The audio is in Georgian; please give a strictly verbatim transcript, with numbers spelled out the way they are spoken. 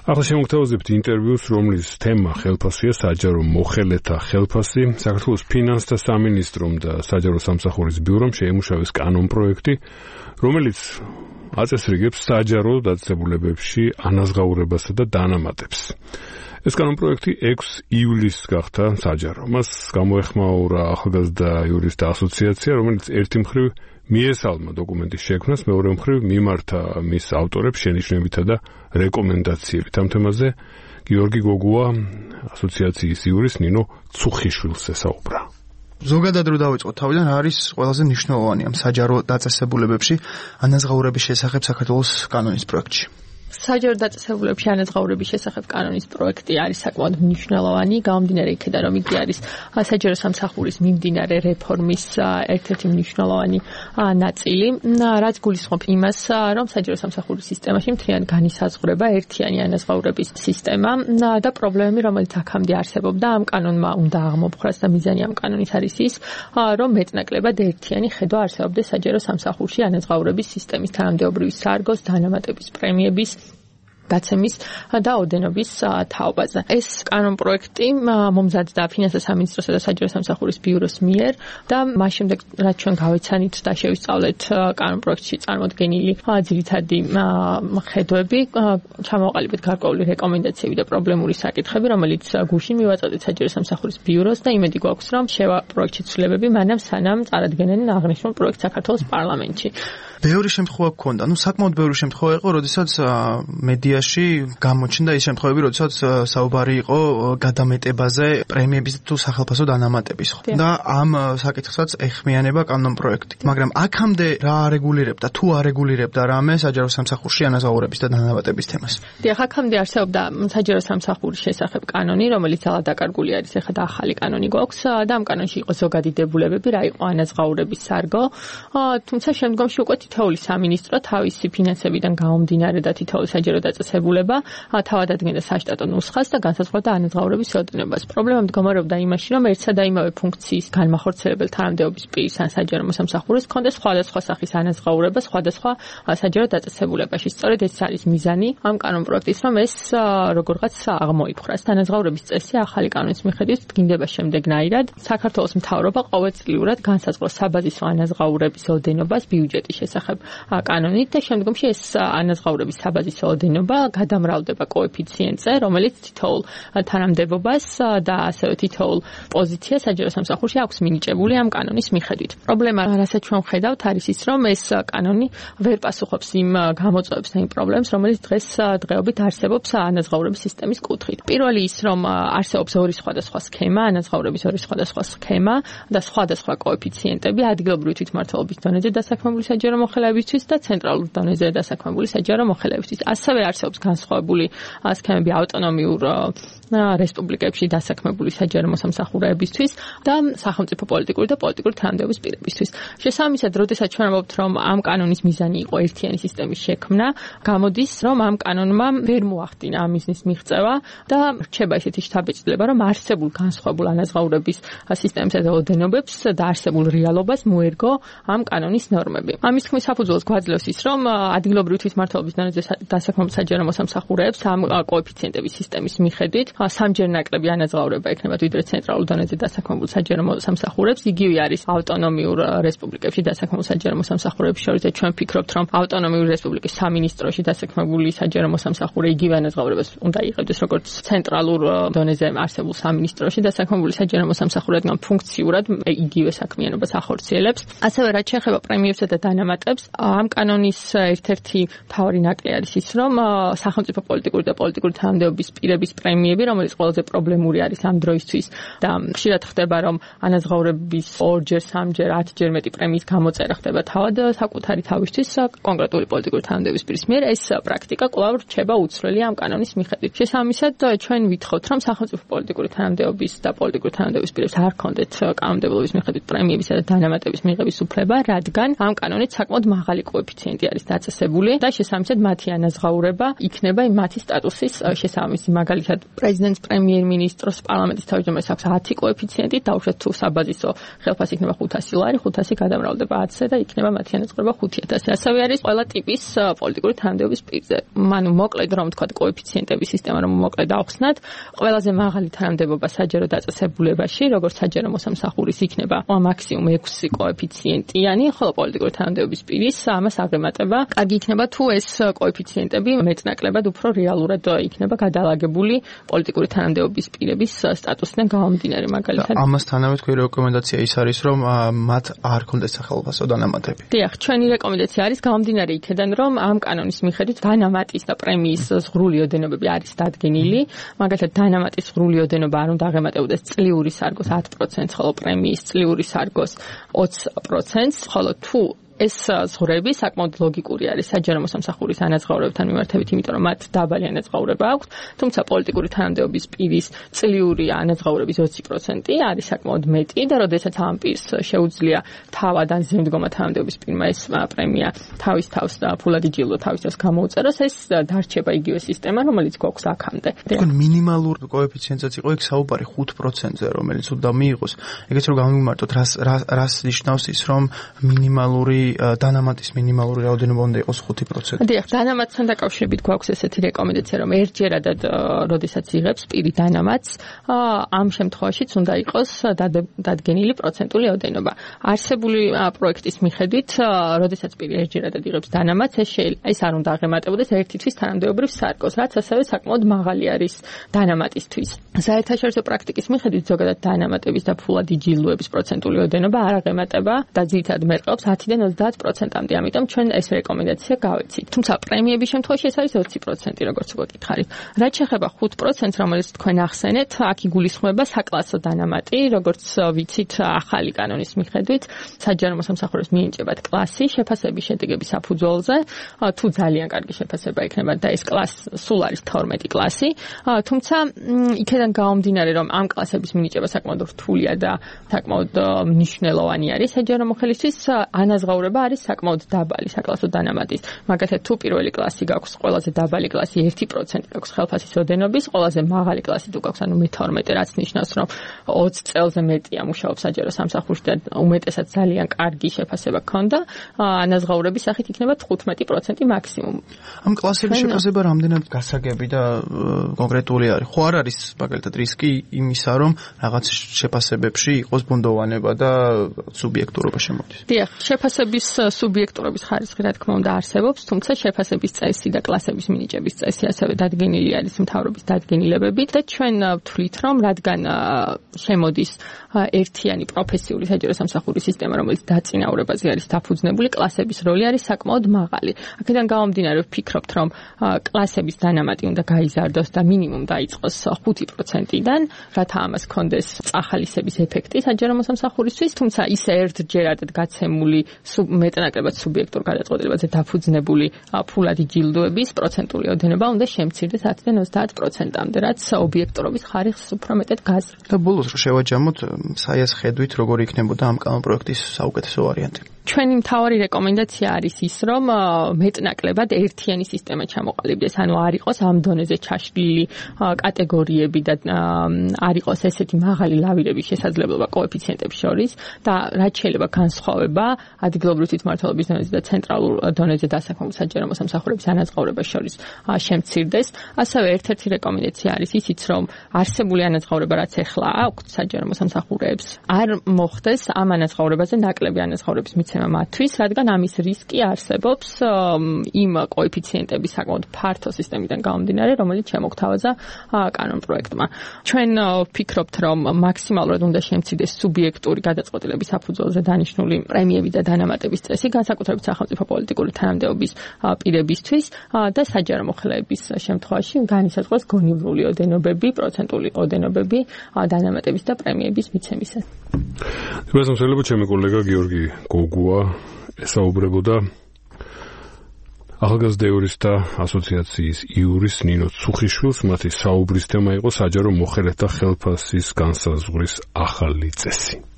ახლა შემოგთავაზებთ ინტერვიუს, რომლის თემა ხელფასია საჯარო მოხელეთა ხელფასი. საქართველოს ფინანსთა სამინისტრომ და საჯარო სამსახურის ბიურომ შეიმუშავეს კანონპროექტი, რომელიც აწესრიგებს საჯარო დაწესებულებებში ანაზღაურებასა და დანამატებს. ეს კანონპროექტი ექვსი ივლისს გახდა საჯარო. მას გამოეხმაურა ახალგაზრდა იურისტთა ასოციაცია, რომელიც ერთი მხრივ მიესალმა დოკუმენტის შექმნას, მეორე მხრივ მიმართა მის ავტორებს შენიშვნებითა და რეკომენდაციებით. ამ თემაზე გიორგი გოგუა ასოციაციის იურის ნინო ცუხიშვილს ესაუბრა. ზოგადად რო დავიწყოთ თავიდან, რა არის ყველაზე მნიშვნელოვანი ამ საჯარო დაწესებულებებში ანაზღაურების შესახებ საქართველოს კანონის პროექტში? საჯარო დაწესებულებებში ანაზღაურების შესახებ კანონის პროექტი არის საკმაოდ მნიშვნელოვანი, გამომდინარე იქიდან, რომ იგი არის საჯარო სამსახურის მიმდინარე რეფორმის ერთ-ერთი მნიშვნელოვანი ნაწილი, რაც გულისხმობს იმას, რომ საჯარო სამსახურის სისტემაში მთლიანად განისაზღვრება ერთიანი ანაზღაურების სისტემა და პრობლემები, რომელიც აქამდე არსებობდა, ამ კანონმა უნდა აღმოფხვრას და მიზანი ამ კანონის არის ის, რომ მეტნაკლებად ერთიანი ხედვა არსებობდეს საჯარო სამსახურში ანაზღაურების სისტემის თანამდებობრივი სარგოს, დანამატების პრემიების დაცემის და ოდენობის თაობაზე. ეს კანონპროექტი მომზადდა ფინანსთა სამინისტროსა და საჯარო სამსახურის ბიუროს მიერ და მას შემდეგ, რაც ჩვენ გავეცანით და შევისწავლეთ კანონპროექტში წარმოდგენილი ძირითადი ხედვები, ჩამოვაყალიბეთ გარკვეული რეკომენდაციები და პრობლემური საკითხები, რომელიც გუშინ მივაწოდეთ საჯარო სამსახურის ბიუროს და იმედი გვაქვს, რომ შევა პროექტში ცვლილებები მანამ სანამ წარადგენენ აღნიშნულ პროექტს საქართველოს პარლამენტში. ბევრი შემთხვევა გქონდა, ну საკმაოდ ბევრი შემთხვევა იყო, როდესაც მედიაში გამოჩნდა ის შემთხვევები, როდესაც საუბარი იყო გადამეტებაზე, პრემიების თუ სახელფასო დანამატების, ხო? და ამ საკითხსაც ეხმიანება კანონპროექტი. მაგრამ აქამდე რა არეგულირებდა, თუ არეგულირებდა რამე საჯარო სამსახურში ანაზღაურების და დანამატების თემას? დიახ, აქამდე არსებობდა საჯარო სამსახურის შესახებ კანონი, რომელიც ძალად დაკარგული არის, ეხლა და ახალი კანონი გვაქვს და ამ კანონში იყო ზოგადი დებულებები, რა იყო ანაზღაურების სარგო, თუმცა შემდგომში უკვე თითოეული სამინისტრო თავისი ფინანსებიდან გამომდინარე და თითოეული საჯარო დაწესებულება თავად ადგენდა საშტატო ნუსხას და განსაზღვრავდა ანაზღაურების რაოდენობას. პრობლემა მდგომარეობდა იმაში, რომ ერთსა და იმავე ფუნქციის განმახორციელებელ თანამდებობის პირის ან საჯარო მოსამსახურეს ჰქონდა სხვადასხვა სახის ანაზღაურება სხვადასხვა საჯარო დაწესებულებაში. სწორედ ეს არის მიზანი ამ კანონპროექტის, რომ ეს როგორღაც აღმოიფხვრას. ანაზღაურების წესი ახალი კანონის მიხედვით დგინდება შემდეგნაირად. საქართველოს მთავრობა ყოველწლიურად განსაზღვრავს საბაზისო ანაზღაურების ოდენობას ბიუჯეტის შესახებ კანონით და შემდგომში ეს ანაზღაურების საბაზისო ოდენობა გადამრავლდება კოეფიციენტზე, რომელიც თითოეულ თანამდებობას და ასევე თითოეულ პოზიციას საჯარო სამსახურში აქვს მინიჭებული ამ კანონის მიხედვით. პრობლემა, რასაც ჩვენ ვხედავთ, არის ის, რომ ეს კანონი ვერ პასუხობს იმ გამოწვევებს და იმ პრობლემებს, რომელიც დღეს დღეობით არსებობს ანაზღაურების სისტემის კუთხით. პირველი ის, რომ არსებობს ორი სხვადასხვა სქემა, ანაზღაურების ორი სხვადასხვა სქემა და სხვადასხვა კოეფიციენტები ადგილობრივი თვითმმართველობის დონეზე დასაქმებული საჯარო მოხელეებისთვის და ცენტრალურ დონეზე დასაქმებული საჯარო მოხელეებისთვის. ასევე არსებობს განსხვავებული სქემები ავტონომიურ რესპუბლიკებში დასაქმებული საჯარო მოსამსახურეებისთვის და სახელმწიფო პოლიტიკური და პოლიტიკური თანამდებობის პირებისთვის. შესაბამისად, როდესაც ჩვენ ვამბობთ, რომ ამ კანონის მიზანი იყო ერთიანი სისტემის შექმნა, გამოდის, რომ ამ კანონმა ვერ მოახდინა ამ მიზნის მიღწევა და რჩება ისეთი შთაბეჭდილება, რომ არსებულ განსხვავებულ ანაზღაურების სისტემებსა და ოდენობებს და არსებულ რეალობას მოერგო ამ კანონის ნორმები. ამის თქმის საფუძველს გვაძლევს ის, რომ ადგილობრივი თვითმმართველობის დონეზე დასაქმებულ საჯარო მოსამსახურეებს ამ კოეფიციენტების სისტემის მიხედვით სამჯერ ნაკლები ანაზღაურება ექნება ვიდრე ცენტრალურ დონეზე დასაქმებულ საჯარო მოსამსახურეებს. იგივე არის ავტონომიურ რესპუბლიკებში დასაქმებულ საჯარო მოსამსახურეებს შორის და ჩვენ ვფიქრობთ, რომ ავტონომიური რესპუბლიკის სამინისტროში დასაქმებული საჯარო მოსამსახურე იგივე ანაზღაურებას უნდა იღებდეს, როგორც ცენტრალურ დონეზე არსებულ სამინისტროში დასაქმებული საჯარო მოსამსახურე, რადგან ფუნქციურად იგივე საქმიანობას ახორციელებს. ასევე რაც შეეხება პრემიებსა და დანამატებს, ამ კანონის ერთ-ერთი მთავარი ნაკლი არის ის, რომ სახელმწიფო პოლიტიკური და პოლიტიკური თანამდებობის პირების პრემიები, რომელიც ყველაზე პრობლემური არის ამ დროისთვის და ხშირად ხდება, რომ ანაზღაურების ორჯერ, სამჯერ, ათჯერ მეტი პრემიის გამოწერა ხდება თავად საკუთარი თავისთვის კონკრეტული პოლიტიკური თანამდებობის პირის მიერ. ეს პრაქტიკა კვლავ რჩება უცვლელი ამ კანონის მიხედვით. შესაბამისად, ჩვენ ვითხოვთ, რომ სახელმწიფო პოლიტიკური თანამდებობის და პოლიტიკური თანამდებობის პირებს არ ჰქონდეთ კანონმდებლობის მიხედვით პრემიებისა და დანამატების მიღების უფლება, რადგან ამ კანონით საკმაოდ მაღალი კოეფიციენტი არის დაწესებული და შესაბამისად მათი ანაზღაურება იქნება მათი სტატუსის შესაბამისი. მაგალითად, პრეზიდენტს, პრემიერ-მინისტრს, პარლამენტის თავმჯდომარეს აქვს ათი კოეფიციენტი, დაუშვათ თუ საბაზისო ხელფასი იქნება ხუთასი ლარი, ხუთასი გადამრავლდება ათზე და იქნება მათი ანაზღაურება ხუთი ათასი. ასევე არის ყველა ტიპის პოლიტიკური თანამდებობის პირზე. მანუ მოკლედ რომ თქვა კოეფიციენტების სისტემა რომ მოკლედ ახსნათ, ყველაზე მაღალი თანამდებობა საჯარო დაწესებულებაში, როგორც საჯარო მოსამსახურის იქნება მაქსიმუმ ექვსი კოეფიციენტიანი, ხოლო პოლიტიკური თანამდებობის პირის ამას აღემატება. კარგი იქნება თუ ეს კოეფიციენტები მეტნაკლებად უფრო რეალურად იქნება გადალაგებული პოლიტიკური თანამდებობის პირების სტატუსიდან გამომდინარე, მაგალითად. ამასთანავე თქვენი რეკომენდაცია ის არის, რომ მათ არ ქონდეს სახელმწიფო დანამატები. დიახ, ჩვენი რეკომენდაცია არის გამომდინარე იქედან, რომ ამ კანონის მიხედვით დანამატის და პრემიის ზღვრული ოდენობები არის დადგენილი. მაგალითად, დანამატის ზღვრული ოდენობა არ უნდა აღემატებოდეს წლიური სარგოს ათ პროცენტს, ხოლო პრემიის წლიური სარგოს ოცი პროცენტს, ხოლო თუ ეს ზღვრები საკმაოდ ლოგიკური არის საჯარო მოსამსახურის ანაზღაურებთან მიმართებით, იმიტომ რომ მათ დაბალი ანაზღაურება აქვს, თუმცა პოლიტიკური თანამდებობის პირის წლიური ანაზღაურების ოცი პროცენტი არის საკმაოდ მეტი და როდესაც ამ პირს შეუძლია თავად ან ზემდგომა თანამდებობის პირმა ეს პრემია თავის თავს და ფულად იჯილდო თავის თავს გამოუწეროს, ეს დარჩება იგივე სისტემა, რომელიც გვაქვს აქამდე. თქვენ მინიმალურ კოეფიციენტსაც იყო იქ საუბარი ხუთ პროცენტზე, რომელიც უნდა მიიღოს. ეგეც რომ გამიმარტოთ, რას რას ნიშნავს ის, რომ მინიმალური დანამატის მინიმალური რაოდენობა უნდა იყოს ხუთი პროცენტი. დიახ, დანამატთან დაკავშირებით გვაქვს ესეთი რეკომენდაცია, რომ ერთჯერადად, როდესაც იღებს პირი დანამატს, ამ შემთხვევაშიც უნდა იყოს დადგენილი პროცენტული ოდენობა. არსებული პროექტის მიხედვით, როდესაც პირი ერთჯერადად იღებს დანამატს, ეს ეს არ უნდა აღემატებოდეს ერთი თვის თანამდებობრივ სარგოს, რაც ასევე საკმაოდ მაღალი არის დანამატისთვის. საერთაშორისო პრაქტიკის მიხედვით ზოგადად დანამატების და ფულად იჯილდოების პროცენტული ოდენობა არ აღემატება და ძირითადად მერყეობს ათიდან ოცდაათ პროცენტამდე, ამიტომ ჩვენ ეს რეკომენდაცია გავეცით. თუმცა პრემიების შემთხვევაში ეს არის ოცი პროცენტი, როგორც გვეკითხარით. რაც შეეხება ხუთ პროცენტს, რომელიც თქვენ ახსენეთ, აქ იგულისხმება საკლასო დანამატი, როგორც ვიცით, ახალი კანონის მიხედვით, საჯარო მოსამსახურეს მიენიჭებათ კლასი შეფასების შედეგების საფუძველზე, თუ ძალიან კარგი შეფასება იქნება და ეს კლასი სულ არის თორმეტი კლასი, თუმცა იქედან გამომდინარე, რომ ამ კლასების მინიჭება საკმაოდ რთულია და საკმაოდ მნიშვნელოვანი არის საჯარო მოხელისთვის, ანაზღაურება არის საკმაოდ დაბალი საკლასო დანამატის. მაგალითად, თუ პირველი კლასი გაქვს, ყველაზე დაბალი კლასი ერთი პროცენტი გაქვს ხელფასის ოდენობის, ყველაზე მაღალი კლასი თუ გაქვს, ანუ მეთორმეტე, რაც ნიშნავს, რომ ოცი წელზე მეტია მუშაობს საჯარო სამსახურში და უმეტესად ძალიან კარგი შეფასება ჰქონდა, ანაზღაურების სახით იქნება თხუთმეტი პროცენტი მაქსიმუმ. ამ კლასების შეფასება რამდენად გასაგები და კონკრეტული არის? ხო არ არის მაგალითად რისკი იმისა, რომ რაღაც შეფასებებში იყოს ბუნდოვანება და სუბიექტურობა შემოდის? დიახ, შეფასების სუბიექტურობის ხარისხი რა თქმა უნდა არსებობს, თუმცა შეფასების წესი და კლასების მინიჭების წესი ასევე დადგენილი არის მთავრობის დადგენილებებით და ჩვენ ვთვლით, რომ რადგან შემოდის ერთიანი პროფესიული საჯარო სამსახურის სისტემა, რომელიც დაწინაურებაზე არის დაფუძნებული, კლასების როლი არის საკმაოდ მაღალი. აქედან გამომდინარე ვფიქრობთ, რომ კლასების დანამატი უნდა გაიზარდოს და მინიმუმ დაიწყოს ხუთი პროცენტიდან, რათა ამას ჰქონდეს წახალისების ეფექტი საჯარო მოსამსახურისთვის, თუმცა ისე ერთჯერადად გაცემული მეტნაკლებად სუბიექტურ გადაწყვეტილებაზე დაფუძნებული ფულადი ჯილდოების პროცენტული ოდენობა უნდა შემცირდეს ათიდან ოცდაათ პროცენტამდე, რაც ობიექტურობის ხარისხს უფრო მეტად გაზრდა. და ბოლოს რომ შევაჯამოთ, საიას ხედვით, როგორ იქნებოდა ამ კანონპროექტის საუკეთესო ვარიანტი? ჩვენი მთავარი რეკომენდაცია არის ის, რომ მეტნაკლებად ერთიანი სისტემა ჩამოყალიბდეს, ანუ არ იყოს ამ დონეზე ჩაშლილი კატეგორიები და არ იყოს ესეთი მაღალი ლავირების შესაძლებლობა კოეფიციენტებს შორის და რაც შეიძლება განსხვავება ადგილობრივი თვითმმართველობის დონეზე და ცენტრალურ დონეზე დასაქმებულ საჯარო მოსამსახურების ანაზღაურებას შორის შემცირდეს. ასევე ერთ-ერთი რეკომენდაცია არის ისიც, რომ არსებული ანაზღაურება, რაც ახლა აქვს საჯარო მოსამსახურეებს, არ მოხდეს ამ ანაზღაურებაზე ნაკლები ანაზღაურების მათთვის, რადგან ამის რისკი არსებობს იმ კოეფიციენტების საკმაოდ ფართო სისტემიდან გამომდინარე, რომელიც შემოგთავაზა კანონპროექტმა. ჩვენ ვფიქრობთ, რომ მაქსიმალურად უნდა შემცირდეს სუბიექტური გადაწყვეტილების საფუძველზე დანიშნული პრემიები და დანამატების წესი, განსაკუთრებით სახელმწიფო პოლიტიკური თანამდებობის პირებისთვის და საჯარო მოხელეების შემთხვევაში განისაზღვროს გონივრული ოდენობები, პროცენტული ოდენობები დანამატების და პრემიების მიცემისას. თუმცა შეიძლება ჩემი კოლეგა გიორგი გოგუა ესაუბრებოდა ახალგაზრდა იურისტთა ასოციაციის იურის ნინო ცუხიშვილს, მათი საუბრის თემა იყო საჯარო მოხელეთა ხელფასის განსაზღვრის ახალი წესი.